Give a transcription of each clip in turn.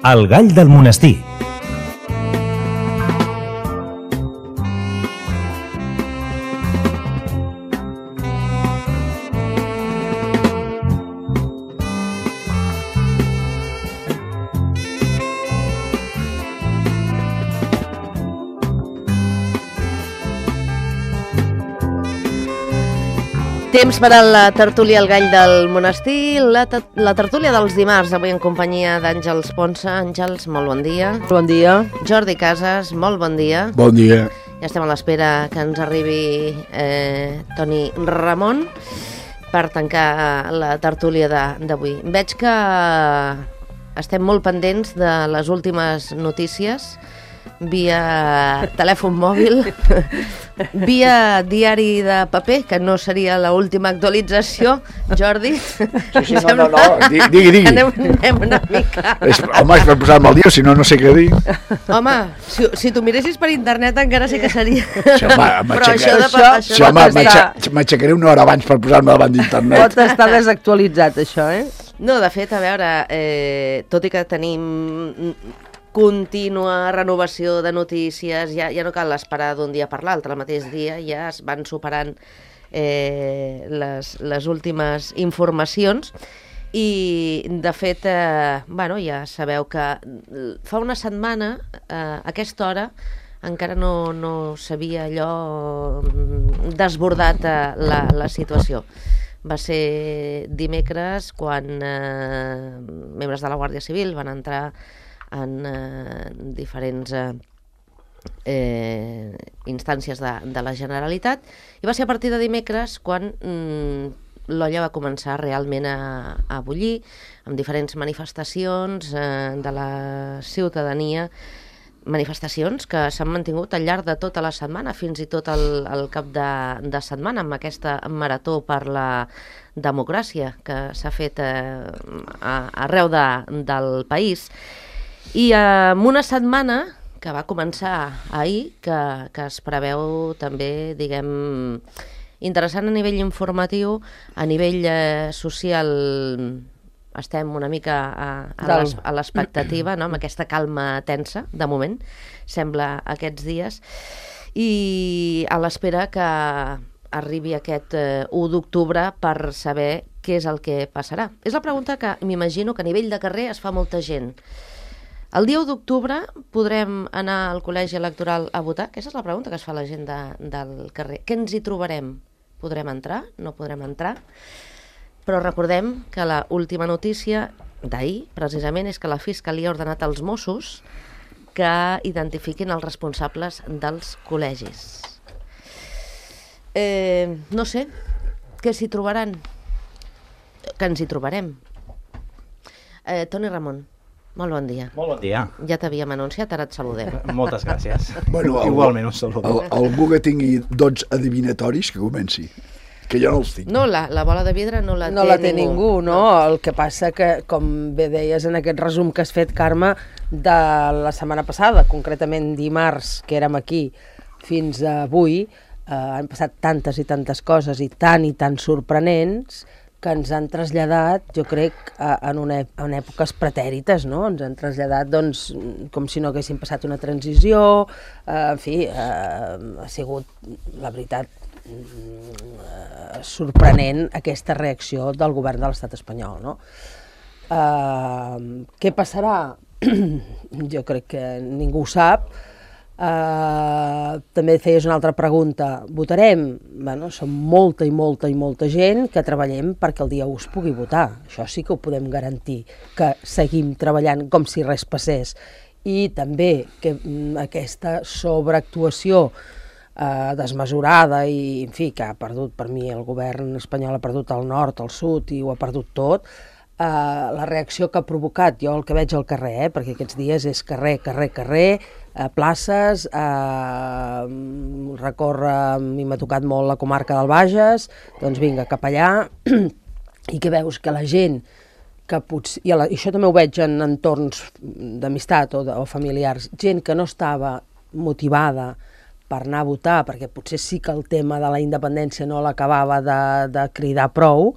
El gall del monestir. Temps per a la tertúlia al gall del monestir, la tertúlia dels dimarts, avui en companyia d'Àngels Ponsa. Àngels, molt bon dia. Bon dia. Jordi Casas, molt bon dia. Bon dia. Ja estem a l'espera que ens arribi Toni Ramon per tancar la tertúlia d'avui. Veig que estem molt pendents de les últimes notícies via telèfon mòbil, via diari de paper, que no seria l'última actualització, Jordi. Sí, no, digui. Anem una mica. Home, és per posar-me al dia, si no, no sé què dir. Home, si tu miressis per internet encara sí que seria. Sí, m'aixecaré una hora abans per posar-me davant d'internet. Pot estar desactualitzat, això, No, de fet, a veure, tot i que tenim contínua renovació de notícies, ja no cal esperar d'un dia per l'altre, el mateix dia ja es van superant les últimes informacions i de fet ja sabeu que fa una setmana a aquesta hora encara no s'havia allò desbordat la situació. Va ser dimecres quan membres de la Guàrdia Civil van entrar en diferents instàncies de la Generalitat, i va ser a partir de dimecres quan l'olla va començar realment a bullir, amb diferents manifestacions de la ciutadania, manifestacions que s'han mantingut al llarg de tota la setmana, fins i tot el cap de setmana, amb aquesta marató per la democràcia que s'ha fet arreu del país. I en una setmana que va començar ahir, que es preveu també, diguem, interessant a nivell informatiu, a nivell social estem una mica a l'expectativa, no? Amb aquesta calma tensa, de moment, sembla aquests dies, i a l'espera que arribi aquest 1 d'octubre per saber què és el que passarà. És la pregunta que m'imagino que a nivell de carrer es fa molta gent. El dia 1 d'octubre podrem anar al col·legi electoral a votar? Aquesta és la pregunta que es fa la gent del carrer. Què ens hi trobarem? Podrem entrar? No podrem entrar? Però recordem que l'última notícia d'ahir, precisament, és que la Fiscalia ha ordenat als Mossos que identifiquin els responsables dels col·legis. No sé, què s'hi trobaran? Que ens hi trobarem. Toni Ramon, molt bon dia. Molt bon dia. Ja t'havíem anunciat, ara et saludem. Moltes gràcies. Bueno, igualment un saludo. Algú que tingui dots adivinatoris, que comenci. Que jo no els tinc. No, la bola de vidre no la té ningú, no? El que passa que, com bé deies en aquest resum que has fet, Carme, de la setmana passada, concretament dimarts, que érem aquí, fins avui, han passat tantes i tantes coses i tan sorprenents que ens han traslladat, jo crec, en èpoques pretèrites, no? Ens han traslladat, doncs, com si no haguessin passat una transició, en fi, ha sigut, la veritat, sorprenent aquesta reacció del govern de l'estat espanyol, no? Què passarà? Jo crec que ningú ho sap. També feies una altra pregunta. Votarem? Bueno, som molta gent que treballem perquè el dia 1 es pugui votar. Això sí que ho podem garantir, que seguim treballant com si res passés. I també que aquesta sobreactuació desmesurada i, en fi, que ha perdut, per mi, el govern espanyol ha perdut el nord, el sud i ho ha perdut tot, la reacció que ha provocat, jo el que veig al carrer, perquè aquests dies és carrer, places, recórrer, a mi m'ha tocat molt la comarca del Bages, doncs vinga, cap allà, i que veus que la gent que potser, i això també ho veig en entorns d'amistat o familiars, gent que no estava motivada per anar a votar, perquè potser sí que el tema de la independència no l'acabava de cridar prou,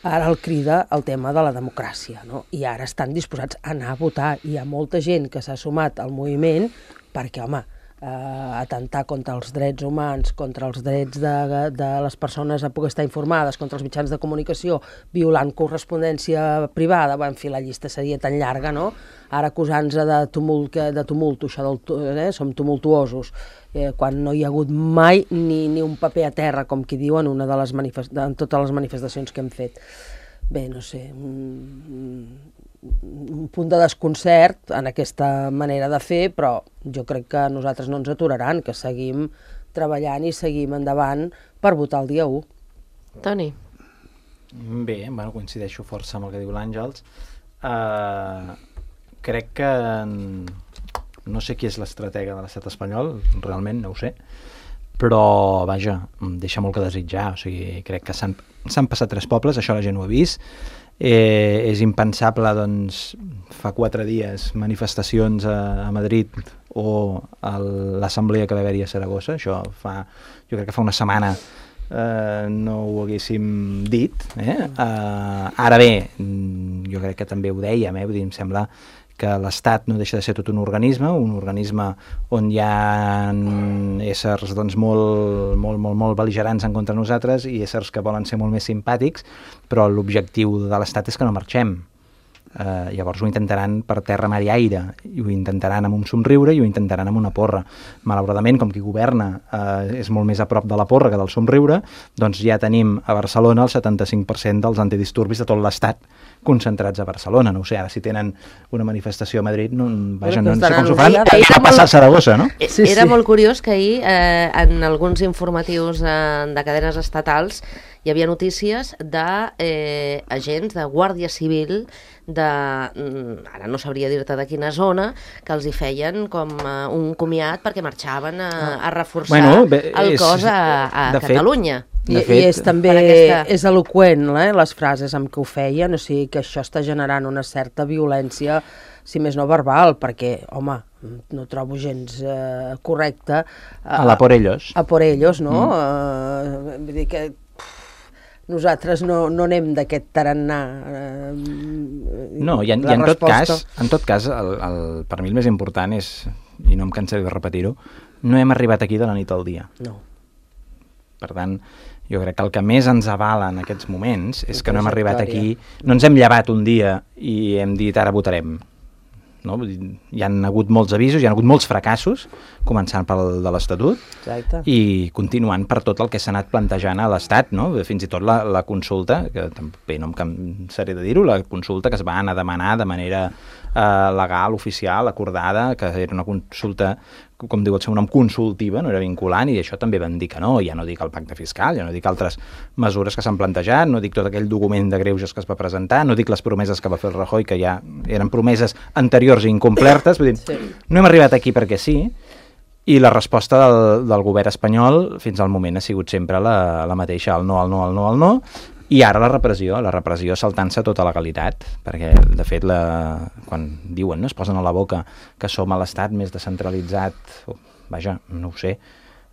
Ara el crida el tema de la democràcia, no? I ara estan disposats a anar a votar. Hi ha molta gent que s'ha sumat al moviment perquè, home, atentar contra els drets humans, contra els drets de les persones a poder estar informades, contra els mitjans de comunicació, violant correspondència privada, en fi, la llista seria tan llarga, no? Ara acusant-se de tumulto, això som tumultuosos, quan no hi ha hagut mai ni un paper a terra, com qui diu en totes les manifestacions que hem fet. Bé, no sé, un punt de desconcert en aquesta manera de fer, però jo crec que nosaltres no ens aturaran, que seguim treballant i seguim endavant per votar el dia 1. Toni? Bé, bueno, coincideixo força amb el que diu l'Àngels. Crec que no sé qui és l'estratega de l'estat espanyol, realment no ho sé, però vaja, deixa molt que desitjar. O sigui, crec que s'han passat 3 pobles, això la gent ho ha vist. És impensable, doncs, fa 4 dies manifestacions a Madrid o a l'assemblea que va haver-hi a Saragossa. Això jo crec que fa una setmana no ho haguéssim dit. Ara bé, jo crec que també ho dèiem, vull dir, em sembla que l'Estat no deixa de ser tot un organisme on hi ha éssers doncs, molt bel·ligerants en contra nosaltres i éssers que volen ser molt més simpàtics, però l'objectiu de l'Estat és que no marxem. Llavors ho intentaran per terra, mar i aire, i ho intentaran amb un somriure i ho intentaran amb una porra. Malauradament, com qui governa és molt més a prop de la porra que del somriure, doncs ja tenim a Barcelona el 75% dels antidisturbis de tot l'Estat concentrats a Barcelona. No ho sé, ara si tenen una manifestació a Madrid, no sé com s'ho faran, a passar a Saragossa, no? Era molt curiós que ahir en alguns informatius de cadenes estatals hi havia notícies d'agents de Guàrdia Civil ara no sabria dir-te de quina zona, que els hi feien com un comiat perquè marxaven a reforçar el cos a Catalunya. I és també és eloqüent, les frases amb què ho feien, o sigui que això està generant una certa violència, si més no verbal, perquè, home, no trobo gens correcte a la por ellos. A por ellos, no? Vull dir que nosaltres no anem d'aquest tarannà. No, i en tot cas, per mi el més important és, i no em cansaré de repetir-ho, no hem arribat aquí de la nit al dia. No. Per tant, jo crec que el que més ens avala en aquests moments és que no hem arribat aquí, no ens hem llevat un dia i hem dit ara votarem. No? Hi han hagut molts avisos, hi ha hagut molts fracassos, començant pel de l'Estatut. Exacte. I continuant per tot el que s'ha anat plantejant a l'Estat, no? Fins i tot la consulta, que també no em cansaré de dir-ho, la consulta que es va anar a demanar de manera legal, oficial, acordada, que era una consulta, com diu el seu nom, consultiva, no era vinculant, i això també van dir que no. Ja no dic el pacte fiscal, ja no dic altres mesures que s'han plantejat, no dic tot aquell document de greuges que es va presentar, no dic les promeses que va fer el Rajoy, que ja eren promeses anteriors i incomplertes. Vull dir, no hem arribat aquí perquè sí, i la resposta del govern espanyol fins al moment ha sigut sempre la mateixa, el no, el no, el no, el no, i ara la repressió saltant-se tota legalitat, perquè de fet quan diuen, es posen a la boca que som a l'estat més descentralitzat, vaja, no ho sé,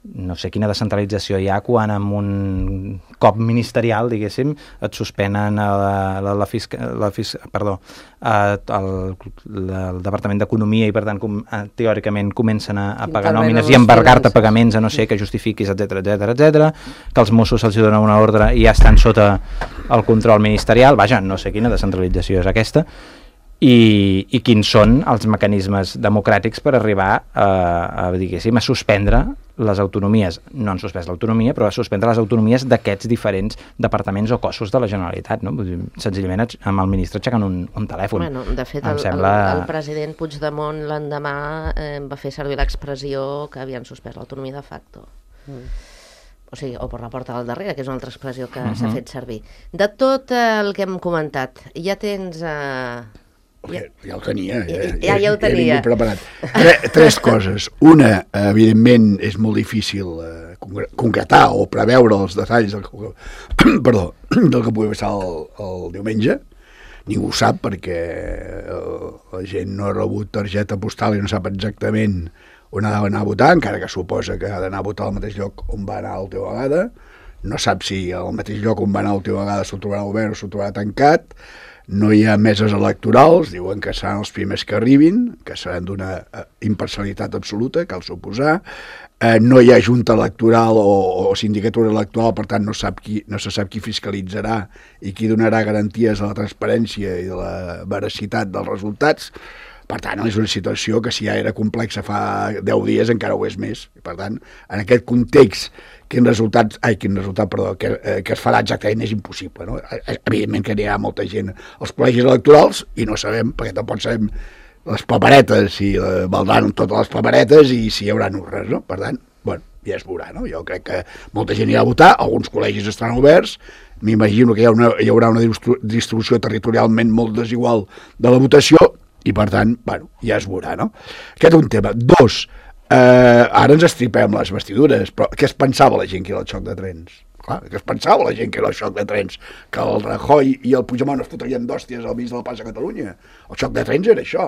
no sé quina descentralització hi ha quan amb un cop ministerial, diguéssim, et suspenen el Departament d'Economia i, per tant, teòricament comencen a pagar nòmines i embargar-te pagaments a no sé que justifiquis, etcètera, que els Mossos se'ls dona una ordre i ja estan sota el control ministerial. Vaja, no sé quina descentralització és aquesta. I quins són els mecanismes democràtics per arribar a suspendre les autonomies. No han suspès l'autonomia, però a suspendre les autonomies d'aquests diferents departaments o cossos de la Generalitat. No? Senzillament amb el ministre aixecant un telèfon. Bueno, de fet, el president Puigdemont l'endemà va fer servir l'expressió que havien suspès l'autonomia de facto. O sigui, o per la porta del darrere, que és una altra expressió que s'ha fet servir. De tot el que hem comentat, ja tens... Ja ho tenia. Ja ho tenia. Preparat. Tres coses. Una, evidentment, és molt difícil concretar o preveure els detalls del que pugui passar el diumenge. Ningú ho sap perquè la gent no ha rebut targeta postal i no sap exactament on ha d'anar a votar, encara que suposa que ha d'anar a votar al mateix lloc on va anar la teva vegada. no sap si al mateix lloc on va anar l'última vegada s'ho trobarà obert o s'ho trobarà tancat, no hi ha meses electorals, diuen que seran els primers que arribin, que seran d'una imparcialitat absoluta, cal suposar, no hi ha junta electoral o sindicatura electoral, per tant no se sap qui fiscalitzarà i qui donarà garanties de la transparència i de la veracitat dels resultats. Per tant, és una situació que si ja era complexa fa 10 dies encara ho és més. Per tant, en aquest context, que es farà exactament és impossible. No? Evidentment que n'hi ha molta gent als col·legis electorals i no sabem, perquè tampoc sabem les paperetes, si valdran totes les paperetes i si hi haurà urnes. No? Per tant, bueno, ja es veurà. No? Jo crec que molta gent irà a votar, alguns col·legis estaran oberts, m'imagino que hi haurà una distribució territorialment molt desigual de la votació, i per tant, bueno, ja es veurà, no? Aquest és un tema. 2, ara ens estripem les vestidures, però què es pensava la gent que era el xoc de trens? Clar, què es pensava la gent que era el xoc de trens? Que el Rajoy i el Puigdemont es fotrien d'hòsties al mig de la plaça de Catalunya? El xoc de trens era això.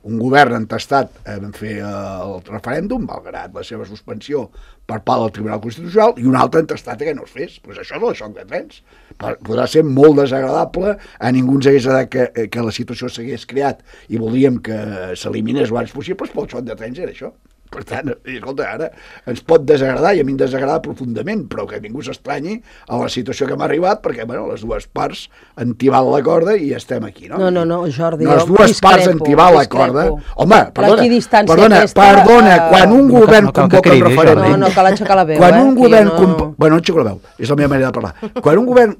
Un govern entestat en fer el referèndum, malgrat la seva suspensió per part del Tribunal Constitucional, i un altre entestat que no es fes. Pues això és el xoc de trens. Podrà ser molt desagradable, a ningú ens hagués agradat que la situació s'hagués creat i voldríem que s'eliminés el abans possible, però el xoc de trens era això. Per tant, escolta, ara ens pot desagradar, i a mi em desagrada profundament, però que ningú s'estranyi a la situació que hem arribat, perquè bueno, les dues parts han tibat la corda i estem aquí, no? No, Jordi, les dues parts han tibat la corda. Home, perdona, quan un govern convoca un referèndum... No, cal aixecar la veu, quan un govern... Bueno, no aixeco la veu, és la meva manera de parlar. Quan un govern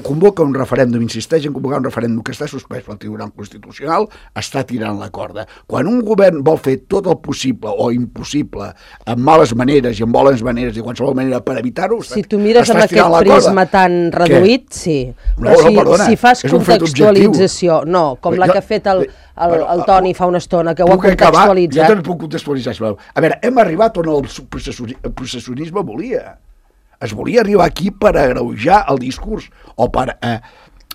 convoca un referèndum, insisteix en convocar un referèndum que està suspès pel Tribunal Constitucional, està tirant la corda. Quan un govern vol fer tot el possible o impossible amb males maneres i amb bones maneres i qualsevol manera per evitar-ho, si tu mires amb aquest prisma tan reduït, sí. Però si fas contextualització, com la que ha fet el Toni fa una estona, que ho ha contextualitzat... Jo també puc contextualitzar, sisplau. A veure, hem arribat on el processionisme volia. Es volia arribar aquí per agreujar el discurs, o per...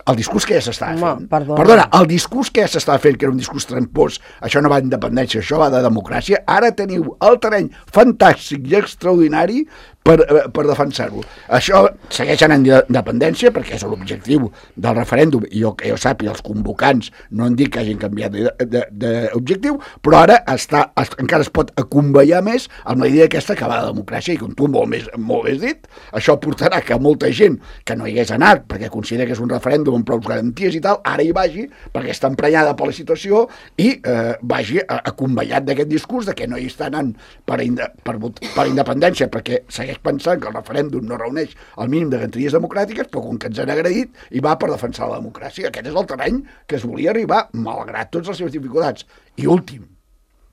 el discurs que ja s'estava fent. Perdona, el discurs que ja s'estava fent, que era un discurs trampós, això no va d'independència, això va de democràcia, ara teniu el terreny fantàstic i extraordinari per defensar-ho. Això segueix anant d'independència, perquè és l'objectiu del referèndum, i que jo sàpiga, els convocants no han dit que hagin canviat d'objectiu, però ara encara es pot acomballar més amb la idea aquesta que va de democràcia, i com tu molt més dit, això portarà que molta gent que no hi hagués anat, perquè considera que és un referèndum amb prou garanties i tal, ara hi vagi, perquè està emprenyada per la situació, i vagi acomballat d'aquest discurs de que no hi està anant per independència, perquè segueix pensant que el referèndum no reuneix el mínim de garanties democràtiques, però com que ens han agredit, i va per defensar la democràcia. Aquest és el terreny que es volia arribar, malgrat totes les seves dificultats. I últim,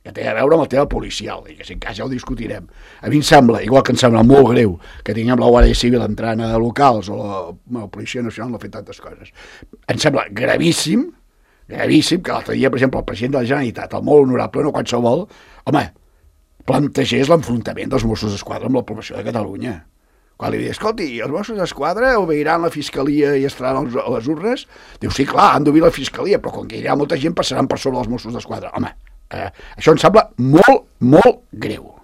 que té a veure amb el tema policial, i que si en cas ja ho discutirem. A mi em sembla, igual que em sembla molt greu que tinguem la Guàrdia Civil entrant a locals, o la Policia Nacional no ha fet tantes coses. Em sembla gravíssim que l'altre dia, per exemple, el president de la Generalitat, el molt honorable, no qualsevol, plantegés l'enfrontament dels Mossos d'Esquadra amb la població de Catalunya. Quan li dius, escolti, els Mossos d'Esquadra obeiran la Fiscalia i estaran a les urnes? Diu, sí, clar, han d'obir la Fiscalia, però com que hi ha molta gent passaran per sobre els Mossos d'Esquadra. Home, això em sembla molt, molt greu.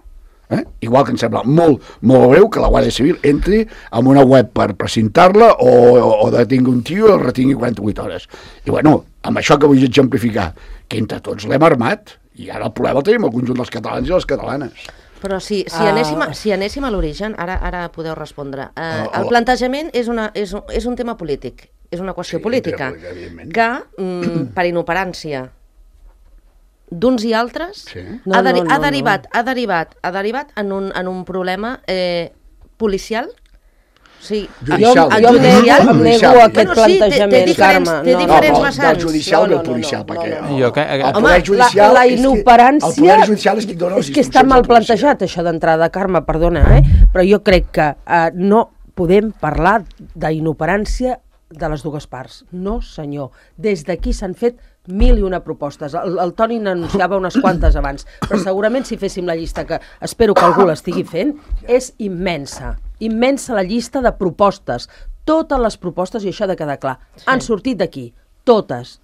Igual que em sembla molt, molt greu que la Guàrdia Civil entri en una web per precintar-la o detingui un tio i el retingui 48 hores. I bueno, amb això que vull exemplificar, que entre tots l'hem armat, i ara el problema el tenim el conjunt dels catalans i les catalanes. Però si anéssim a l'origen, ara podeu respondre. El plantejament és un tema polític, és una qüestió política, que per inoperància d'uns i altres ha derivat en un problema policial. Sí. Jo em nego aquest plantejament, Carme. Té diferents vessants. Del judicial i el policial. La inoperància és que està mal plantejat, això d'entrada, Carme, perdona, però jo crec que no podem parlar d'inoperància de les dues parts. No, senyor. Des d'aquí s'han fet 1001 propostes. El Toni n'anunciava unes quantes abans, però segurament si féssim la llista, que espero que algú l'estigui fent, és immensa. Immensa la llista de propostes. Totes les propostes, i això ha de quedar clar, han sortit d'aquí. Totes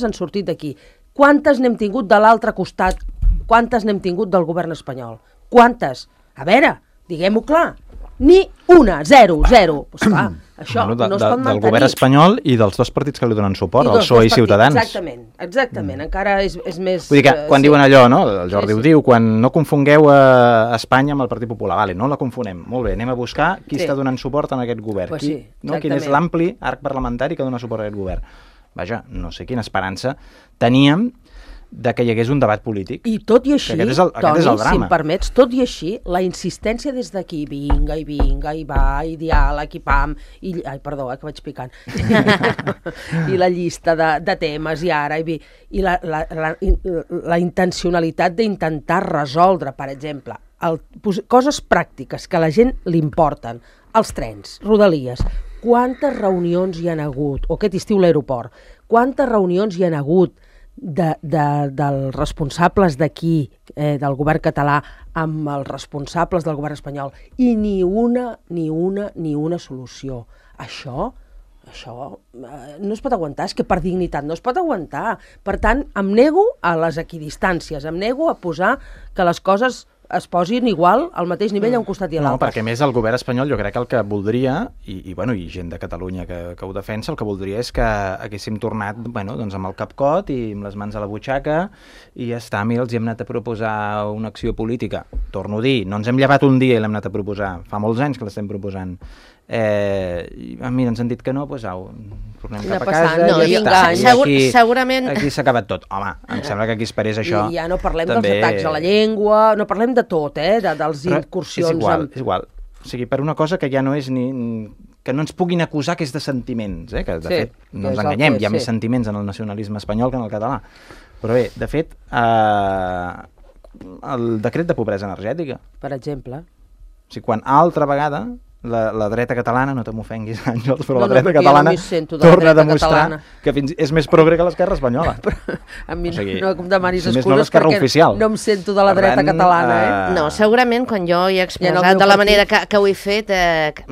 han sortit d'aquí. Quantes n'hem tingut de l'altre costat? Quantes n'hem tingut del govern espanyol? Quantes? A veure, diguem-ho clar. Ni una, zero. Pues clar, això no es pot mantenir. Del govern espanyol i dels dos partits que li donen suport, el PSOE i Ciutadans. Exactament. Encara és més... Vull dir que quan diuen allò, no? El Jordi ho diu, quan no confongueu Espanya amb el Partit Popular, vale, no la confonem. Molt bé, anem a buscar qui està donant suport a aquest govern. Pues sí, quin és l'ampli arc parlamentari que dona suport a aquest govern. Vaja, no sé quina esperança teníem de que hi hagués un debat polític. I tot i així, Toni, si em permets, tot i així, la insistència des d'aquí, vinga, i va, i diàleg, i pam, que vaig picant, i la llista de temes, i ara, i la intencionalitat d'intentar resoldre, per exemple, coses pràctiques que a la gent li importen, els trens, Rodalies, quantes reunions hi han hagut, o aquest estiu l'aeroport, quantes reunions hi han hagut dels responsables d'aquí, del govern català, amb els responsables del govern espanyol, i ni una solució. Això no es pot aguantar, és que per dignitat no es pot aguantar. Per tant, em nego a les equidistàncies, em nego a posar que les coses es posin igual al mateix nivell a un costat i a l'altre. No, perquè més el govern espanyol jo crec que el que voldria, i gent de Catalunya que ho defensa, el que voldria és que haguéssim tornat doncs amb el capcot i amb les mans a la butxaca i ja està, mira, els hi hem anat a proposar una acció política. Torno a dir, no ens hem llevat un dia i l'hem anat a proposar, fa molts anys que l'estem proposant. Mira, ens han dit que no, doncs au, tornem cap a casa i ja està. Segurament... Aquí s'ha acabat tot. Home, em sembla que aquí esperés això. I ja no parlem dels atacs a la llengua, no parlem de tot, dels incursions... És igual. O sigui, per una cosa que ja no és ni... que no ens puguin acusar que és de sentiments, que de fet, no ens enganyem, hi ha més sentiments en el nacionalisme espanyol que en el català. Però bé, de fet, el decret de pobresa energètica. Per exemple. O sigui, quan altra vegada la dreta catalana, no te m'ofenguis, Àngels, però la dreta catalana torna a demostrar que és més progre que l'esquerra espanyola. A mi no em demanis excuses perquè no em sento de la dreta catalana. No, segurament quan jo he expressat de la manera que ho he fet,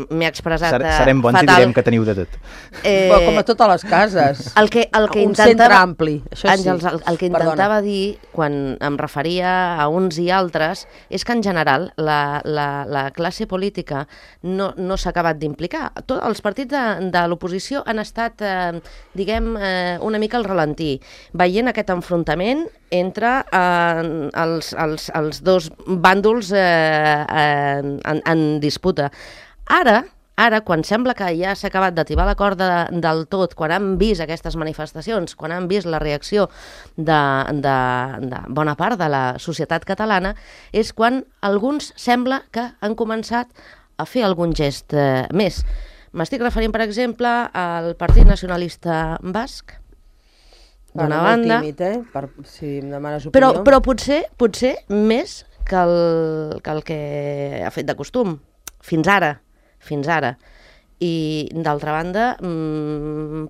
m'he expressat fatal. Serem bons i direm que teniu de tot. Com a totes les cases. Un centre ampli, això sí. Àngels, el que intentava dir quan em referia a uns i altres és que en general la classe política no s'ha acabat d'implicar. Els partits de l'oposició han estat, una mica al ralentí, veient aquest enfrontament entre els dos bàndols en disputa. Ara, quan sembla que ja s'ha acabat d'atibar la corda del tot, quan han vist aquestes manifestacions, quan han vist la reacció de bona part de la societat catalana, és quan alguns sembla que han començat a fer algun gest més. M'estic referint, per exemple, al Partit Nacionalista Basc, d'una banda... Molt tímid, si em demanes opinió. Però potser més que el que ha fet de costum, fins ara. I, d'altra banda,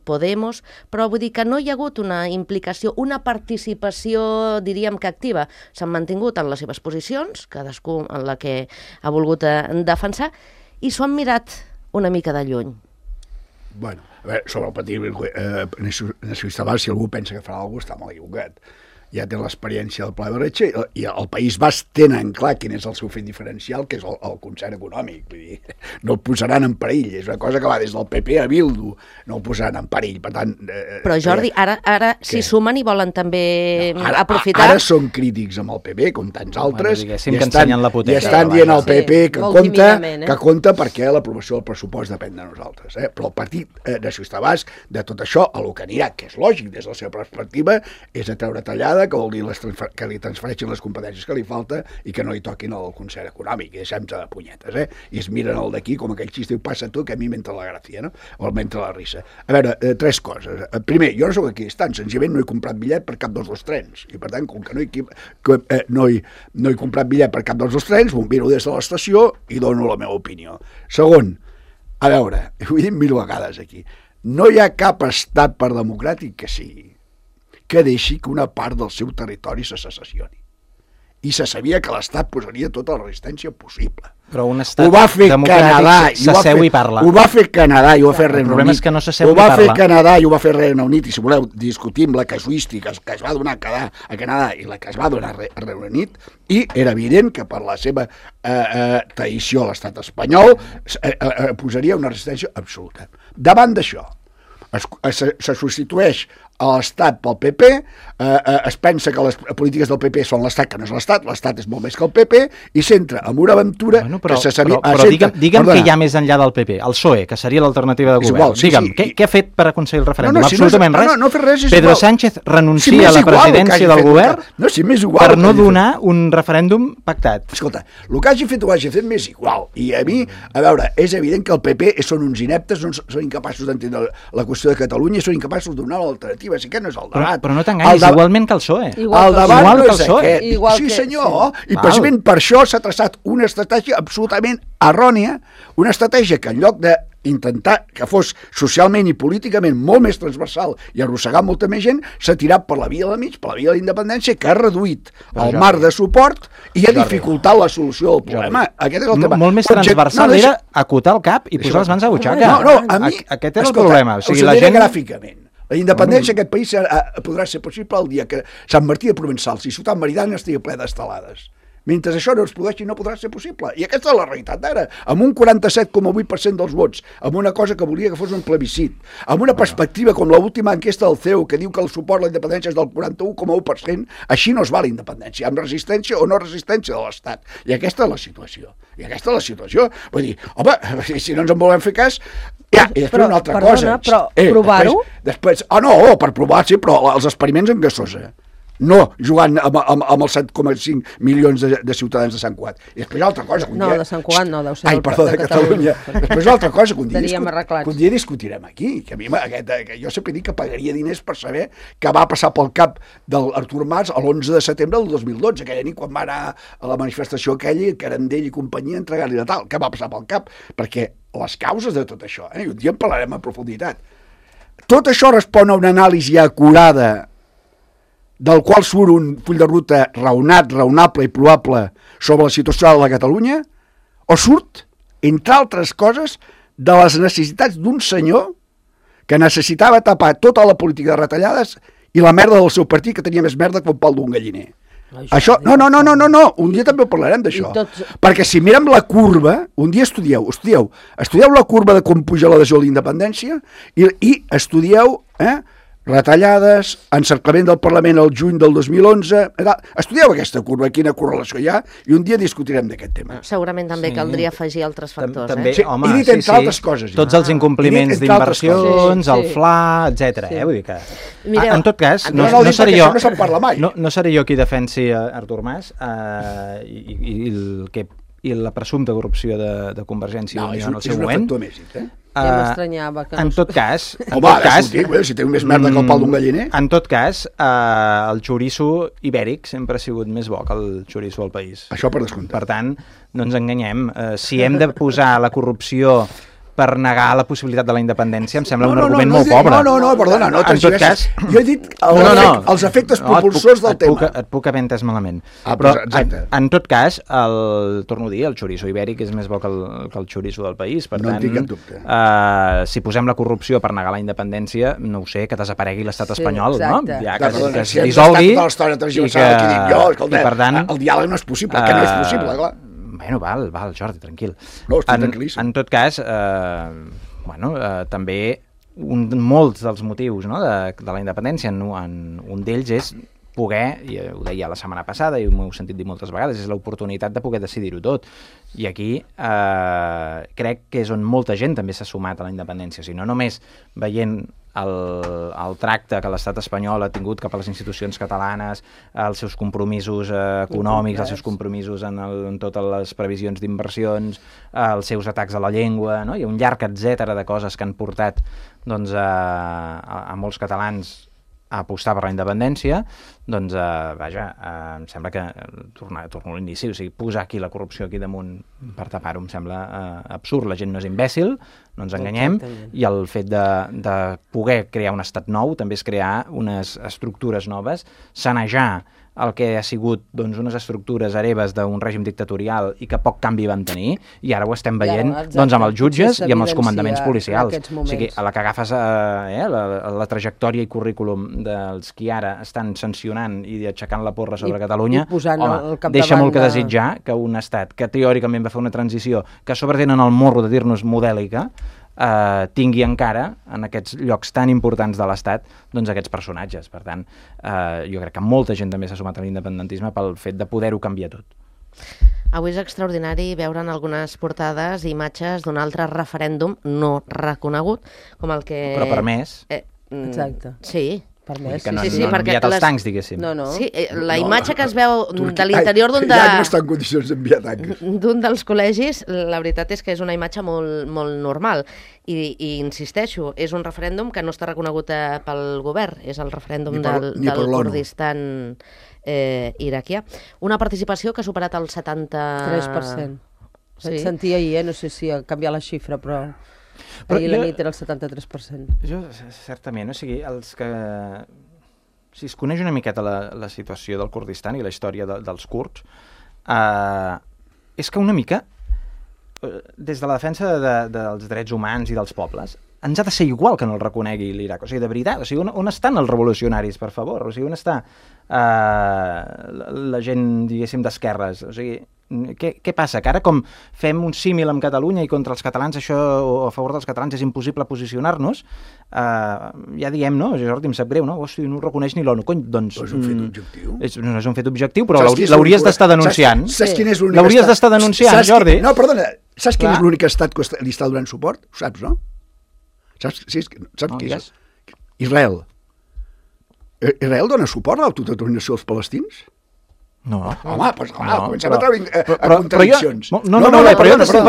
Podemos, però vull dir que no hi ha hagut una implicació, una participació, diríem que activa. S'han mantingut en les seves posicions, cadascú en la que ha volgut defensar, i s'ho han mirat una mica de lluny. Bueno, a veure, sobre el Partit Nacionalista Basc, si algú pensa que farà alguna cosa, està molt equivocat. Ja té l'experiència del Pla de Bretxa i el País Basc tenen clar quin és el seu fet diferencial, que és el concert econòmic. Vull dir, no el posaran en perill, és una cosa que va des del PP a Bildu, no el posaran en perill, per tant... Però Jordi, ara s'hi sumen i volen també aprofitar... Ara són crítics amb el PP, com tants altres, i estan dient al PP que compta perquè l'aprovació del pressupost depèn de nosaltres. Però el Partit Nacionalista Basc, de tot això, a lo que anirà, que és lògic des de la seva perspectiva, és a treure tallada, que vol dir que li transfereixin les competències que li falta i que no li toquin el concert econòmic, i deixem-se de punyetes, i es miren el d'aquí com aquell xiste, passa tu que a mi m'entra la gràcia, no? O m'entra la risa. A veure, tres coses. Primer, jo no soc equidistant, senzillament no he comprat bitllet per cap dels dos trens, i per tant, com que no he comprat bitllet per cap dels dos trens, m'ho miro des de l'estació i dono la meva opinió. Segon, a veure, ho he dit 1000 vegades aquí, no hi ha cap estat, per democràtic que sigui, que deixi que una part del seu territori se secessioni. I se sabia que l'Estat posaria tota la resistència possible. Però un estat ho va fer democràtic Canadà, s'asseu i parla. Ho va fer Canadà i ho va fer Regne Unit. El problema és que no s'asseu Ho ni va fer parla. Canadà i ho va fer Regne Unit, i si voleu discutim la casuística que es va donar a Canadà i la que es va donar a Regne Unit, i era evident que per la seva traïció a l'estat espanyol posaria una resistència absoluta. Davant d'això, se substitueix a l'Estat pel PP, es pensa que les polítiques del PP són l'Estat, que no és l'Estat és molt més que el PP, i s'entra en una aventura però, que se sabia... Però digue'm què hi ha més enllà del PP, el PSOE, que seria l'alternativa de govern. Igual, sí, digue'm, sí. què ha fet per aconseguir el referèndum? No, si absolutament res. No, fer res, és Pedro igual. Sánchez renuncia a la presidència del govern per no donar un referèndum pactat. Escolta, el que hagi fet o hagi fet m'és igual. I a mi, a veure, és evident que el PP són uns ineptes, són incapaços d'entendre la qüestió de Catalunya i són incapaços de donar l'alternativa. Si aquest no és el debat. Però no t'enganyis, igualment que el PSOE. El debat no és aquest. Igual Sí, que- senyor. I precisament per això s'ha traçat una estratègia absolutament errònia, una estratègia que en lloc d'intentar que fos socialment i políticament molt més transversal i arrossegar molta més gent, s'ha tirat per la via de mig, per la via de la independència, que ha reduït el marc de suport i ha dificultat la solució del problema. Aquest és el tema. Molt més transversal era acotar el cap i posar les mans a butxaca. No, a mi... Aquest era el problema. O sigui, us ho la diré gent... gràficament. La independència d'aquest país podrà ser possible el dia que Sant Martí de Provençals i Ciutat Meridana estigui ple d'estelades. Mentre això no es produeixi, no podrà ser possible. I aquesta és la realitat d'ara. Amb un 47,8% dels vots, amb una cosa que volia que fos un plebiscit, amb una perspectiva com l'última enquesta del CEU, que diu que el suport a la independència és del 41,1%, així no es va la independència, amb resistència o no resistència de l'Estat. I aquesta és la situació. Vull dir, home, si no ens en volem fer cas, ja, i després una altra cosa. Però provar-ho? Després, per provar, sí, però els experiments en gasosa. No jugant amb els 7,5 milions de ciutadans de Sant Cugat. I després altra cosa... No, de Sant Cugat no, deu ser de Catalunya. Després altra cosa que un dia discutirem aquí, que a mi que jo sempre dic que pagaria diners per saber què va passar pel cap d'Artur Mas l'11 de setembre del 2012, aquella nit quan va anar a la manifestació aquella, Carandell i companyia, a entregar-li de tal. Què va passar pel cap? Perquè les causes de tot això, i un dia en parlarem en profunditat. Tot això respon a una anàlisi acurada del qual surt un full de ruta raonable i probable sobre la situació de la Catalunya, o surt, entre altres coses, de les necessitats d'un senyor que necessitava tapar tota la política de retallades i la merda del seu partit, que tenia més merda que un pal d'un galliner. Això, no, un dia també parlarem d'això. Perquè si mirem la curva, un dia estudieu la curva de com puja l'adhesió a la independència i estudieu, retallades, encerclament del Parlament al juny del 2011... Estudieu aquesta curva, quina correlació hi ha, i un dia discutirem d'aquest tema. Segurament també caldria afegir altres factors. També, Sí, home, i dit entre altres coses. Tots els incompliments d'inversions, el FLA, etc. Vull dir que... Mireu, en tot cas, no seré jo... No se'n parla mai. No seré jo qui defensi Artur Mas i la presumpta corrupció de Convergència i Unió en el seu moment. No, és un efecte mèsic, Ja m'estranyava que no... En tot cas... si té més merda que el pal d'un galliner... En tot cas, el xoriço ibèric sempre ha sigut més bo que el xoriço al país. Això per descomptat. Per tant, no ens enganyem. Si hem de posar la corrupció per negar la possibilitat de la independència, em sembla un argument molt pobre. Perdona, no, en tot cas... Jo he dit els efectes propulsors del tema. Et puc haver entès malament. Però, en tot cas, torno a dir, el xoriço ibèric és més bo que el xoriço del país. Per tant, tinc cap dubte. Si posem la corrupció per negar la independència, no ho sé, que desaparegui l'estat espanyol, no? Ja que es dissolgui i per tant... El diàleg no és possible, que no és possible, clar. Bueno, val, Jordi, tranquil. No, estic tranquil·líssim. En tot cas, també molts dels motius de la independència, un d'ells és poder, i ho deia la setmana passada i m'ho heu sentit dir moltes vegades, és l'oportunitat de poder decidir-ho tot. I aquí crec que és on molta gent també s'ha sumat a la independència. O sigui, no només veient el tracte que l'estat espanyol ha tingut cap a les institucions catalanes, els seus compromisos econòmics, els seus compromisos en totes les previsions d'inversions, els seus atacs a la llengua, no? Hi ha un llarg etcètera de coses que han portat a molts catalans a apostar per la independència, doncs, em sembla que, torno a l'inici, o sigui, posar aquí la corrupció aquí damunt per tapar-ho em sembla absurd. La gent no és imbècil, no ens enganyem, i el fet de poder crear un estat nou també és crear unes estructures noves, sanejar el que ha sigut doncs, unes estructures hereves d'un règim dictatorial i que poc canvi van tenir, i ara ho estem veient doncs, amb els jutges i amb els comandaments policials. O sigui, a la que agafes la trajectòria i currículum dels qui ara estan sancionant i aixecant la porra sobre Catalunya, home, deixa molt que desitjar que un estat que teòricament va fer una transició, que a sobre tenen el morro de dir-nos modèlica, tingui encara en aquests llocs tan importants de l'Estat doncs aquests personatges. Per tant, jo crec que molta gent també s'ha sumat a l'independentisme pel fet de poder-ho canviar tot. Avui és extraordinari veure en algunes portades imatges d'un altre referèndum no reconegut, com el que... Però permès. Exacte. Sí. Permès. Que no han enviat els tancs, diguéssim. No. Sí, la imatge que es veu de l'interior d'un Ja no està en condicions d'enviar tancs. D'un dels col·legis, la veritat és que és una imatge molt, molt normal. I insisteixo, és un referèndum que no està reconegut pel govern, és el referèndum del Kurdistan iraquià. Una participació que ha superat el 3%. Sí. Et sentia ahir, no sé si ha canviat la xifra, però ahir la nit era el 73%. Jo, certament, o sigui, si es coneix una miqueta la situació del Kurdistan i la història dels kurds, és que una mica, des de la defensa dels drets humans i dels pobles, ens ha de ser igual que no el reconegui l'Iraq. O sigui, de veritat, o sigui, on estan els revolucionaris, per favor? O sigui, on està la gent, diguéssim, d'esquerres? O sigui, què passa? Que ara com fem un símil amb Catalunya i contra els catalans això, o a favor dels catalans, és impossible posicionar-nos, ja diem, no? Jordi, em sap greu, no? Hosti, no ho reconeix ni l'ONU. Cony, doncs... És un fet objectiu. No és un fet objectiu, però l'hauries d'estar denunciant. Saps quin és l'únic estat? L'hauries d'estar denunciant, Jordi. No, perdona, saps quin és l'únic estat que li està donant suport? Ho saps, no? Saps qui és? Israel. Israel dona suport a l'autodeterminació dels palestins? No. Home, doncs clar, comencem a treure a contradiccions. No, però jo t'estic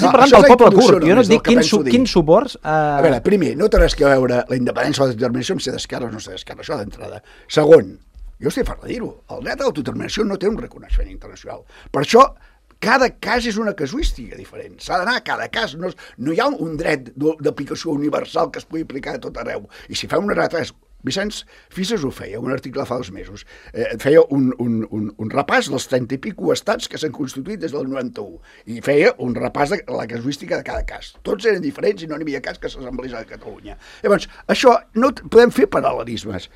parlant del poble kurd. Jo no et dic quins suports... A veure, primer, no té res que veure la independència o la determinació amb ser d'esquerra o no ser d'esquerra, això d'entrada. Segon, jo estic fart de dir-ho, el dret a l'autodeterminació no té un reconeixement internacional. Per això, cada cas és una casuística diferent. S'ha d'anar a cada cas. No hi ha un dret d'aplicació universal que es pugui aplicar a tot arreu. I si fem una retras... Vicenç Fisas ho feia, un article fa 2 mesos. Feia un repàs dels 30 i pico estats que s'han constituït des del 91 i feia un repàs de la casuística de cada cas. Tots eren diferents i no n'hi havia cas que s'assemblés a Catalunya. Llavors, això no podem fer paral·lelismes.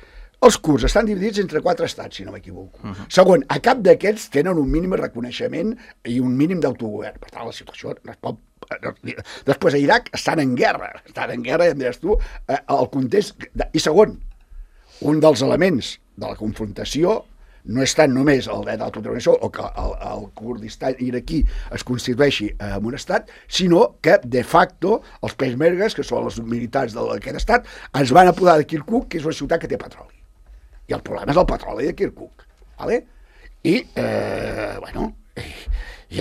Els kurds estan dividits entre 4 estats, si no m'equivoco. Segon, a cap d'aquests tenen un mínim de reconeixement i un mínim d'autogovern. Per tant, la situació no es pot... Després, a Iraq estan en guerra, ja em diràs tu, el context... I segon, un dels elements de la confrontació no és tant només el dret a l'autodeterminació o que el Kurdistan iraquí es constitueixi en un estat, sinó que, de facto, els peshmergues, que són els militars d'aquest estat, es van apodar de Kirkuk, que és una ciutat que té petroli. I el problema és el petroli de Kirkuk. Vale? I,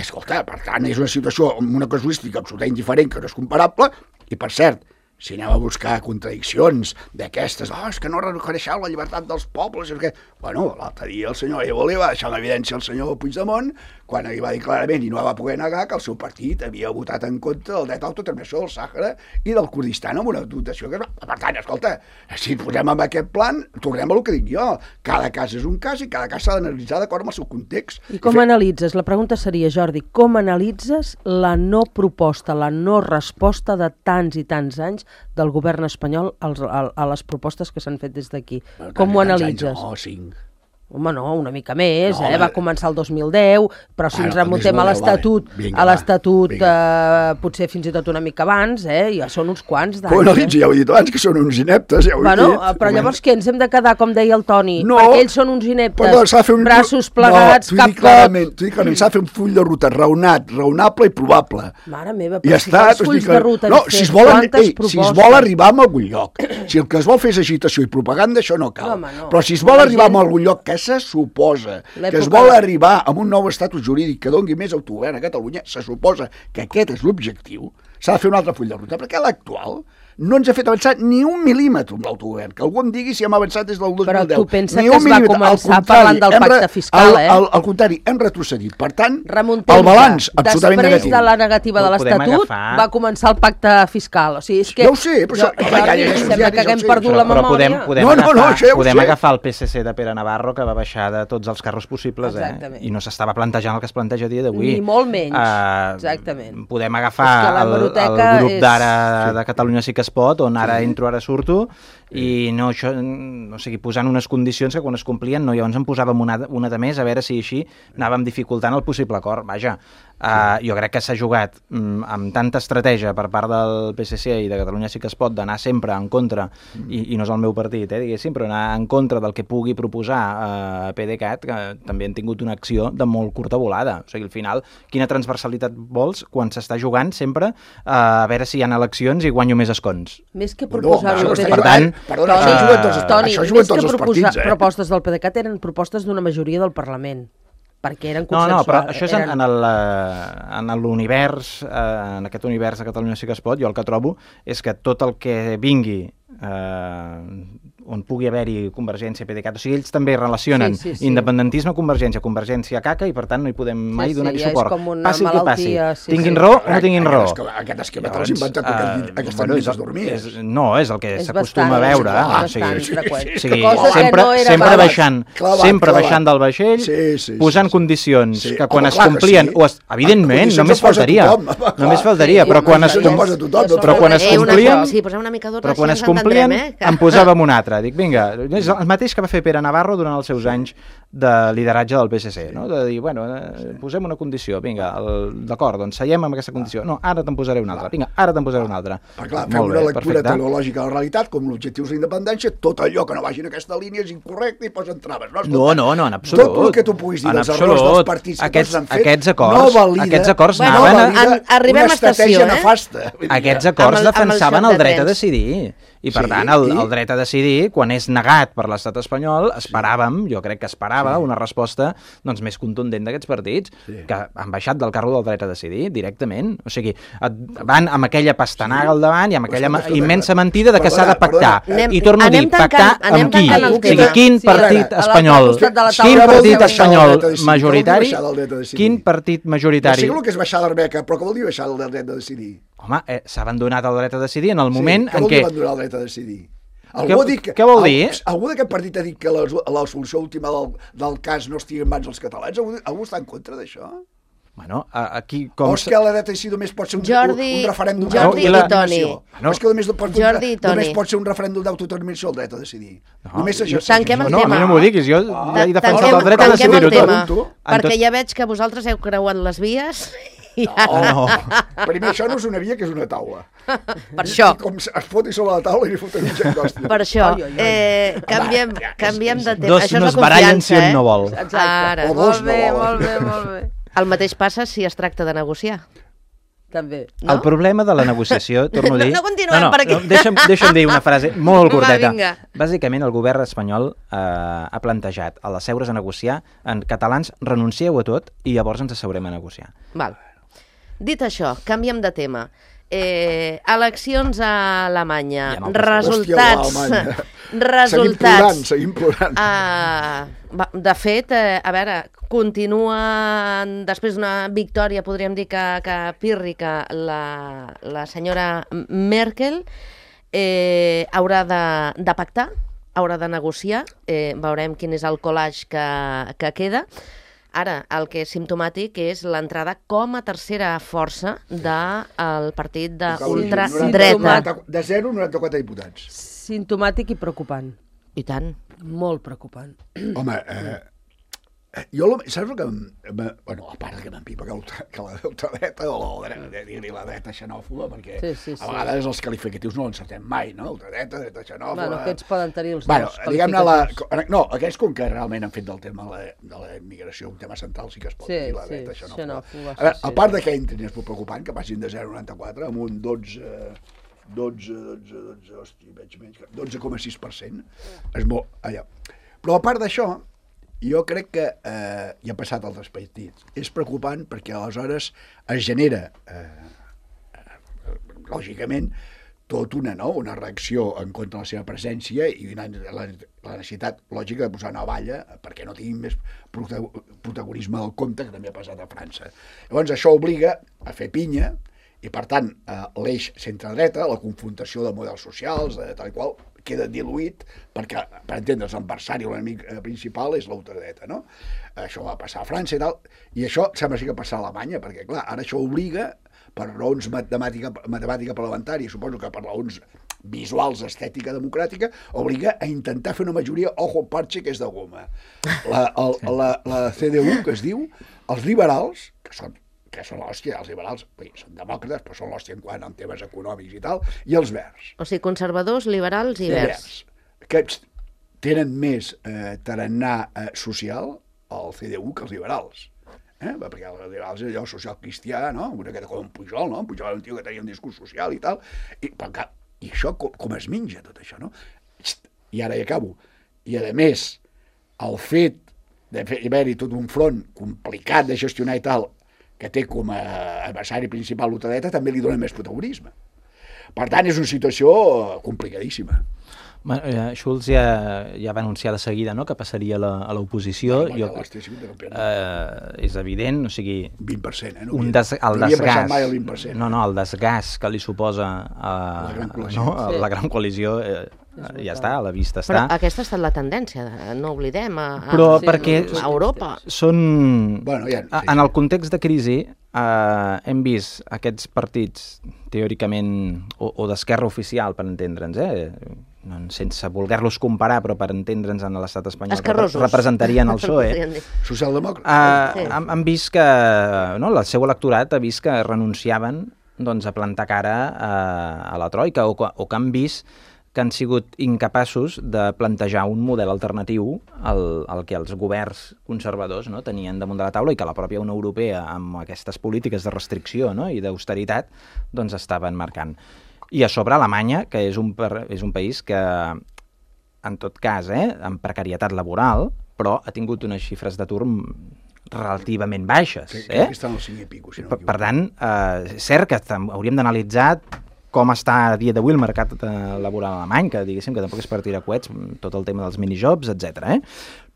escolta, per tant, és una situació amb una casuística absolutament indiferent, que no és comparable, i, per cert, si anem a buscar contradiccions d'aquestes, és que no reconeixeu la llibertat dels pobles, bueno, l'altre dia el senyor Evo li va deixar en evidència el senyor Puigdemont quan li va dir clarament i no va poder negar que el seu partit havia votat en contra del dret a l'autodeterminació del Sàhara i del Kurdistan amb una dotació que... Per tant, escolta, si ens posem en aquest plan, tornem a el que dic jo. Cada cas és un cas i cada cas s'ha d'analitzar d'acord amb el seu context. I com analitzes? La pregunta seria, Jordi, com analitzes la no proposta, la no resposta de tants i tants anys del govern espanyol a les propostes que s'han fet des d'aquí? Com ho analitzes? No, 5. Home, no, una mica més, va començar el 2010, però si ens remuntem a l'Estatut, potser fins i tot una mica abans, ja són uns quants d'anys. Bueno, ja ho he dit abans, que són uns ineptes, ja ho he dit. Però llavors què, ens hem de quedar, com deia el Toni, perquè ells són uns ineptes, braços plegats, cap cop... T'ho dic clarament, s'ha de fer un full de ruta raonable i probable. Mare meva, però si fas fulls de ruta, si es vol arribar a algun lloc, si el que es vol fer és agitació i propaganda, això no cal. Però si es vol arribar a algun lloc que se suposa que es vol arribar a un nou estatus jurídic que doni més autogovern a Catalunya, se suposa que aquest és l'objectiu, s'ha de fer un altre full de ruta, perquè l'actual no ens ha fet avançar ni un mil·límetre amb l'autogovern. Que algú em digui si hem avançat des del 2010. Però tu pensa ni que es va començar parlant del pacte fiscal, Al contrari, hem retrocedit. Per tant, Remuntem el balanç absolutament després negatiu. de la negativa de l'Estatut va començar el pacte fiscal. O sigui, és que ja ho sé, però sembla que haguem perdut la memòria. Podem agafar el PSC de Pere Navarro, que va baixar de tots els carros possibles, i no s'estava plantejant el que es planteja a dia d'avui. Ni molt menys, exactament. Podem agafar el grup d'ara de Catalunya Sí que es pot, on ara entro, ara surto, i no, això, o sigui, posant unes condicions que quan es complien, no, llavors en posàvem una de més, a veure si així anàvem dificultant el possible acord. Vaja, jo crec que s'ha jugat amb tanta estratègia per part del PSC i de Catalunya Sí que es pot d'anar sempre en contra, i no és el meu partit, diguéssim, però anar en contra del que pugui proposar PDeCAT, que també han tingut una acció de molt curta volada. O sigui, al final, quina transversalitat vols quan s'està jugant sempre a veure si hi ha eleccions i guanyo més escons? Més que proposar-ho PDeCAT... Perdona, això juguen tots els partits, propostes del PDeCAT eren propostes d'una majoria del Parlament, perquè eren consensuals. No, però això és en l'univers, en aquest univers de Catalunya Sí que es pot, jo el que trobo és que tot el que vingui on pugui haver-hi Convergència, PDeCAT, o sigui, ells també relacionen independentisme, Convergència caca, i per tant no hi podem mai donar-hi suport. Passi el que passi. Tinguin raó o no tinguin raó. Aquest esquema te l'has inventat aquestes nits dormies. No, és el que s'acostuma a veure. Sempre baixant del vaixell, posant condicions que quan es complien, evidentment, només faltaria, però quan es complien, en posàvem un altre. Dic, vinga, és el mateix que va fer Pere Navarro durant els seus anys de lideratge del PSC, no? De dir, bueno, posem una condició, vinga, d'acord, doncs seiem amb aquesta condició. No, ara te'n posaré una altra. Vinga, ara te'n posaré una altra. Clar, fem una lectura teleològica de la realitat, com l'objectiu és la independència, tot allò que no vagi en aquesta línia és incorrecte i posen traves. No, en absolut. Tot el que tu puguis dir dels errors dels partits que tots han fet, aquests acords anaven arribem a estació, Aquests acords defensaven el dret a decidir. I per tant, el dret a decidir, quan és negat per l'estat espanyol, jo crec que esperava una resposta més contundent d'aquests partits, que han baixat del carro del dret a decidir directament. O sigui, van amb aquella pastanaga al davant i amb aquella immensa mentida de que s'ha de pactar. I torno a dir, pactar amb qui? O sigui, quin partit espanyol majoritari? Quin partit majoritari? Sí, el que és baixar l'Arbeca, però què vol dir baixar el dret a decidir? Home, s'ha abandonat el dret a decidir en el moment en què... Què vol dir abandonar el dret a decidir? Què vol dir? Algú d'aquest partit ha dit que la solució última del cas no estigui en mans dels catalans? Algú està en contra d'això? Bueno, aquí... O és que la dret a decidir només pot ser un referèndum d'autodeterminació? O és que només pot ser un referèndum d'autodeterminació el dret a decidir? Només això. Tanquem el tema. No, a mi no m'ho diguis, jo ja he defensat el dret a decidir-ho tot. Perquè ja veig que vosaltres heu creuat les vies... No. Primer, això no és una via, que és una taula. Per això. Com es foti sobre la taula i li foten un xacòstia. Per això. Canviem de tema. Dos no es barallen si un no vol. Ara. O dos no volen. Molt bé. El mateix passa si es tracta de negociar. També. No? El problema de la negociació, torno a dir... No continuem per aquí. Deixa'm dir una frase molt curteta. Va, bàsicament, el govern espanyol ha plantejat a les seures a negociar en catalans, renuncieu a tot i llavors ens asseurem a negociar. Val. Dit això, canviem de tema. Eleccions a Alemanya. Resultats. Seguim plorant. De fet, a veure, continua, després d'una victòria, podríem dir que pírrica, la senyora Merkel haurà de pactar, haurà de negociar, veurem quin és el collage que queda. Ara, el que és simptomàtic és l'entrada com a tercera força del partit d'ultradreta. De 0 a 94 diputats. Simptomàtic i preocupant. I tant. Molt preocupant. Home, saps el que... Bueno, a part que m'empipa que la ultradreta o la dreta xenòfoba, perquè a vegades els qualificatius no l'encertem mai, no? Ultradreta, dreta xenòfoba... Bueno, aquests poden tenir els dos qualificatius. No, aquests com que realment han fet del tema de la immigració un tema central sí que es pot dir, la dreta xenòfoba. A veure, a part que entrin és molt preocupant, que passin de 0 a 94 amb un 12,6%. És molt... Allà. Però a part d'això, jo crec que ja ha passat altres partits. És preocupant perquè aleshores es genera, lògicament, tot una reacció en contra de la seva presència i la necessitat lògica de posar una valla perquè no tinguin més protagonisme del compte, que també ha passat a França. Llavors això obliga a fer pinya i, per tant, l'eix centre-dreta, la confrontació de models socials, tal i qual, queda diluït perquè, per entendre's, l'adversari o l'enemic principal és l'ultradreta, no? Això va passar a França i tal, i això sembla que passar a Alemanya, perquè, clar, ara això obliga, per raons matemàtica parlamentària, suposo que per raons visuals, estètica, democràtica, obliga a intentar fer una majoria ojo parche que és de goma. La CDU, que es diu, els liberals, que són l'hòstia, els liberals són demòcrates, però són l'hòstia en quant a temes econòmics i tal, i els verds. O sigui, conservadors, liberals i verds. Que tenen més tarannà social, el CDU, que els liberals. Perquè els liberals és allò social cristià, no? Una miqueta com en Pujol, no? En Pujol era un tio que tenia un discurs social i tal, i això com es menja tot això, no? I ara hi acabo. I a més, el fet d'haver-hi tot un front complicat de gestionar i tal, que té com a adversari principal l'ultradreta, també li dona més protagonisme. Per tant, és una situació complicadíssima. Schulz ja va anunciar de seguida, no?, que passaria a l'oposició. És evident, o sigui... 20%, el desgast... el desgast que li suposa la Gran Coalició ja està, a la vista està. Però aquesta ha estat la tendència, no oblidem, a Europa. En el context de crisi hem vist aquests partits teòricament o d'esquerra oficial, per entendre'ns, sense voler-los comparar, però per entendre'ns en l'estat espanyol, representarien el PSOE. Socialdemòcrata. Han vist que el seu electorat ha vist que renunciaven a plantar cara a la troika, o que han vist que han sigut incapaços de plantejar un model alternatiu al que els governs conservadors tenien damunt de la taula i que la pròpia Unió Europea, amb aquestes polítiques de restricció i d'austeritat, estaven marcant. I a sobre Alemanya, que és un país que, en tot cas, amb precarietat laboral, però ha tingut unes xifres d'atur relativament baixes. Crec que estan al 5 i pico, si no m'equivoco. Per tant, és cert que hauríem d'analitzar com està a dia d'avui el mercat laboral alemany, que diguéssim que tampoc és per tirar coets, tot el tema dels minijobs, etc.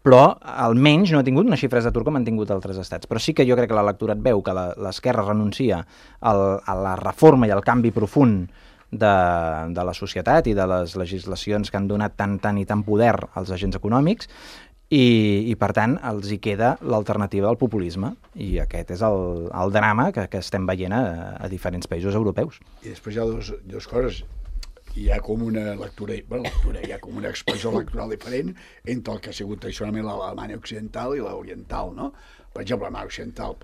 Però almenys no ha tingut unes xifres d'atur com han tingut altres estats. Però sí que jo crec que l'electorat veu que l'esquerra renuncia a la reforma i al canvi profund de la societat i de les legislacions que han donat tant i tant poder als agents econòmics, i per tant els hi queda l'alternativa al populisme, i aquest és el drama que estem veient a diferents països europeus. I després hi ha dues coses. Hi ha com una hi ha com una expressió electoral diferent entre el que ha sigut tradicionalment l'Alemanya occidental i l'oriental, no? Per exemple, l'Alemanya occidental,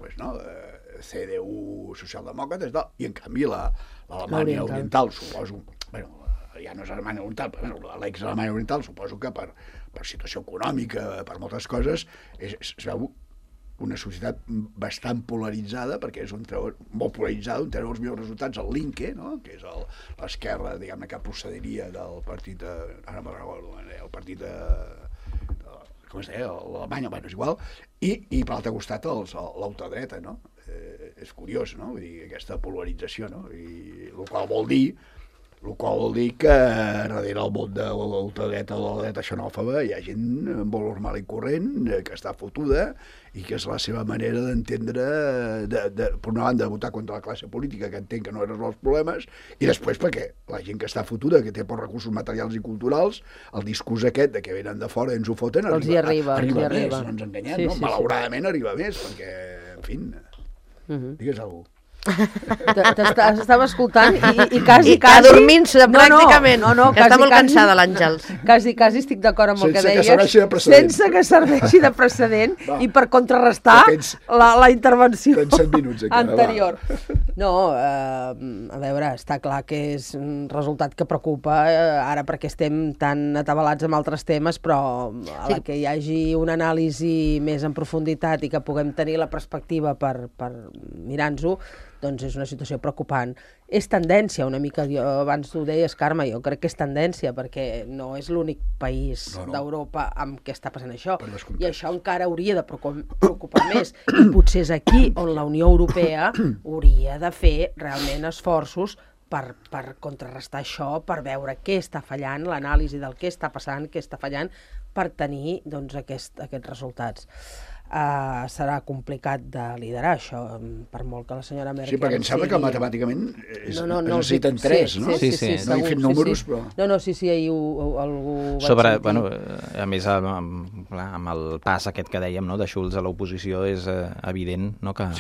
CDU, socialdemòcrates, i en canvi l'Alemanya oriental, suposo, ja no és Alemanya oriental, però l'ex-Alemanya oriental, suposo que per situació econòmica, per moltes coses, es veu una societat bastant polaritzada, perquè és molt polaritzada, on tenen els millors resultats el Linke, no?, que és l'esquerra, diguem-ne, que procediria del partit, ara me'n recordo, el partit com es deia, l'Alemanya, és igual, i per l'altre costat l'ultradreta, no? És curiós, no?, vull dir, aquesta polarització, no?, i el qual vol dir que darrere el món de l'ultradreta o la dreta xenòfoba hi ha gent molt normal i corrent que està fotuda i que és la seva manera d'entendre, per una banda, de votar contra la classe política, que entenc que no resol els problemes, i després perquè la gent que està fotuda, que té pocs recursos materials i culturals, el discurs aquest de que venen de fora i ens ho foten, arriba més, no ens enganyem, no? Malauradament arriba més, perquè, en fi, digues alguna cosa. T'estava escoltant i quasi... Adormint-se, pràcticament. No, que està molt cansada l'Àngels. Quasi estic d'acord amb el que deies. Sense que serveixi de precedent i per contrarrestar la intervenció anterior. No, a veure, està clar que és un resultat que preocupa ara perquè estem tan atabalats amb altres temes, però a la que hi hagi una anàlisi més en profunditat i que puguem tenir la perspectiva per mirar-nos-ho, doncs és una situació preocupant. És tendència, una mica, abans ho deies, Carme, jo crec que és tendència, perquè no és l'únic país d'Europa amb què està passant això, i això encara hauria de preocupar més, i potser és aquí on la Unió Europea hauria de fer realment esforços per contrarrestar això, per veure què està fallant, l'anàlisi del què està passant, què està fallant, per tenir doncs, aquests resultats. Serà complicat de liderar això, per molt que la senyora Merkel... Sí, perquè em sembla que matemàticament es necessiten 3, no? Sí. No he fet números, però... Sí, ahir algú vaig sobre, sentir. bueno, a més, amb el pas aquest que dèiem, no, de Schulz a l'oposició, és evident, no, que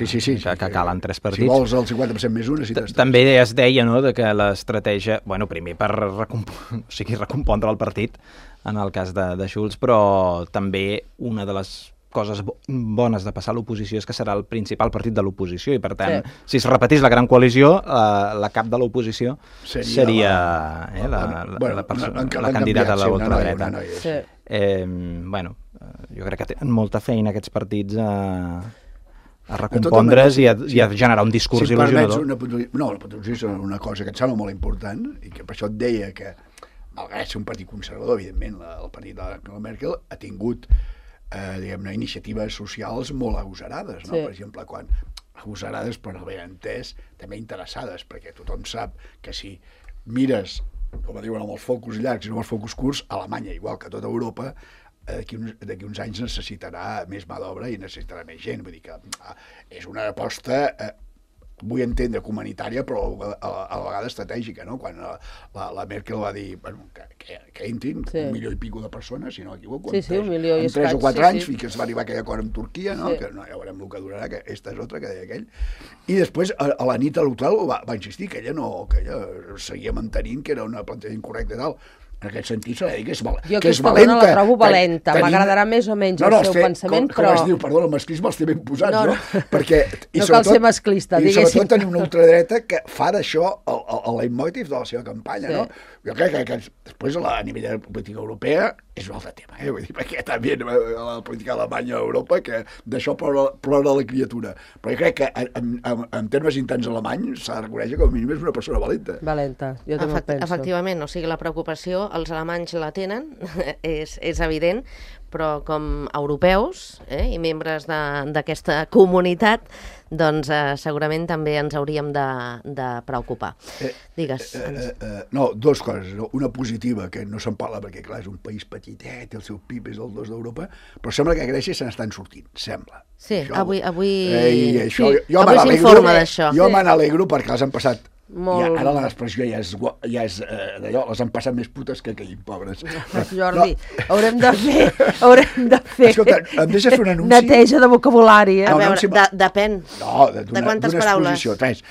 calen 3 partits. Si vols el 50% més un, necessites 3. També es deia, no, de que l'estratègia... Bueno, primer per recompondre el partit, en el cas de Schulz, però també una de les coses bones de passar a l'oposició és que serà el principal partit de l'oposició i, per tant, si es repetís la gran coalició, la cap de l'oposició seria la candidata a l'ultradreta. Bueno, jo crec que tenen molta feina aquests partits a recompondre's i a generar un discurs il·lusionador. Una puntuació és una cosa que em sembla molt important i que per això et deia que, malgrat ser un partit conservador, evidentment, el partit de la Merkel ha tingut diguem-ne, iniciatives socials molt agosarades, no? Per exemple, quan agosarades, per no haver entès, també interessades, perquè tothom sap que si mires, com diuen, amb els focus llargs i no amb els focus curts, Alemanya, igual que tota Europa, d'aquí uns anys necessitarà més mà d'obra i necessitarà més gent. Vull dir que és una aposta... vull entendre humanitària, però a la vegada estratègica, no? Quan la Merkel va dir que entrin 1 milió i pico de persones, si no m'equivoco, en 3 o 4 anys, fins que es va arribar aquell acord amb Turquia, no? Que no, ja veurem el que durarà, que esta és otra, que deia aquell. I després, a la nit electoral va insistir que ella seguia mantenint que era una plantejament correcta i tal. En aquest sentit s'ha de dir que és valenta. Jo aquesta dona la trobo valenta, m'agradarà més o menys el seu pensament, però... Com es diu, perdona, el masclisme els té ben posats, no? Perquè, no cal ser masclista, diguéssim. I sobretot tenir una ultradreta que fa d'això el leitmotiv de la seva campanya, no? Jo crec que després a nivell de política europea és un altre tema, vull dir, perquè també la política alemanya a Europa, que d'això plora la criatura. Però jo crec que en termes interns alemanys s'ha de reconèixer que com a mínim és una persona valenta. Valenta, jo també ho penso. Efectivament, o sigui, la preocupació els alemanys la tenen, és evident, però com a europeus i membres d'aquesta comunitat, doncs segurament també ens hauríem de preocupar. Digues. No, 2 coses. Una positiva, que no se'n parla perquè, clar, és un país petitet, el seu PIB és el 2 d'Europa, però sembla que a Grècia se n'estan sortint, sembla. Sí, avui s'informa d'això. Jo me n'alegro perquè les han passat. Ara l'expressió ja és d'allò, les han passat més putes que aquell, pobres. Jordi, haurem de fer escolta, em deixes fer un anunci? Neteja de vocabulari, A veure, depèn de quantes paraules. 3.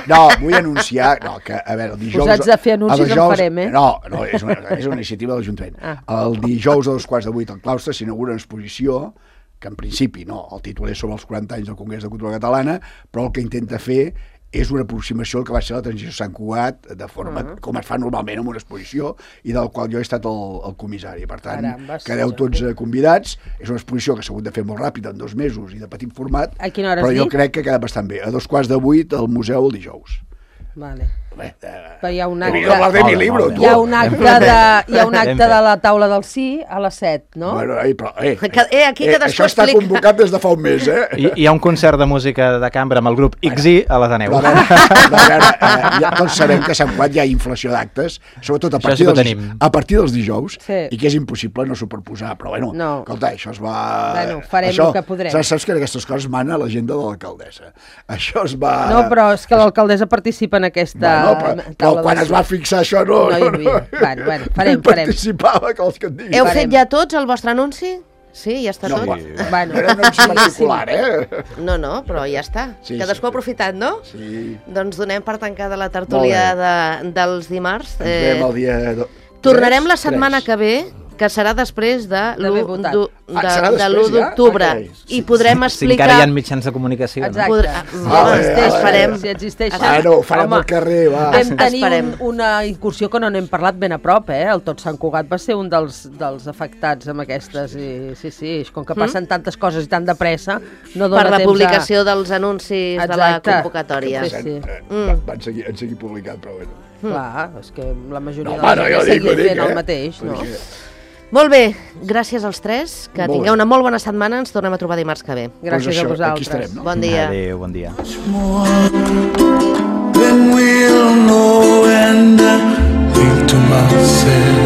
No, vull anunciar que, a veure, el dijous... Posats a fer anuncis en farem, No, és una iniciativa de l'Ajuntament. El dijous a 2:15 al claustre s'inaugura una exposició que en principi, el títol és sobre els 40 anys del Congrés de Cultura Catalana, però el que intenta fer és una aproximació al que va ser la transició a Sant Cugat, de forma com es fa normalment en una exposició, i del qual jo he estat el comissari. Per tant, quedeu tots convidats. És una exposició que s'ha hagut de fer molt ràpid, en 2 mesos, i de petit format, però jo crec que ha quedat bastant bé. A 2:15 al museu el dijous. Vale. Però hi ha un acte... Hi ha un acte de la taula del sí a les 7, no? Bueno, però, això està convocat des de fa un mes, Hi ha un concert de música de cambra amb el grup XY a l'Ateneu. Doncs sabem que a Sant Cugat hi ha inflació d'actes, sobretot a partir dels dijous, i que és impossible no superposar, però bueno, escolta, això es va... Bueno, farem el que podrem. Saps que aquestes coses mana a l'agenda de l'alcaldessa. Això es va... No, però és que l'alcaldessa participa en aquesta... Però quan es va fixar això no hi havia. Bueno, farem. Participava, que els que et diguin. Heu fet ja tots el vostre anunci? Sí, ja està tot. Era un anunci particular, No, però ja està. Cadascú ha aprofitat, no? Sí. Doncs donem per tancada la tertúlia dels dimarts. Ens veiem el dia... Tornarem la setmana que ve, que serà després de l'1 d'octubre, i podrem explicar... Si encara hi ha mitjans de comunicació. Exacte. Farem. Si existeixen. Farem al carrer, va. Vam tenir una incursió que no n'hem parlat ben a prop, el Tot Sant Cugat va ser un dels afectats amb aquestes, i sí, com que passen tantes coses i tan de pressa, no dona temps per la publicació dels anuncis de la convocatòria. Han seguit publicat, però bueno. Clar, és que la majoria de la gent seguia fent el mateix, no? Molt bé, gràcies als 3, que tingueu una molt bona setmana, ens tornem a trobar dimarts que ve. Gràcies a vosaltres. Bon dia. Adéu, bon dia. surrender. Think to myself,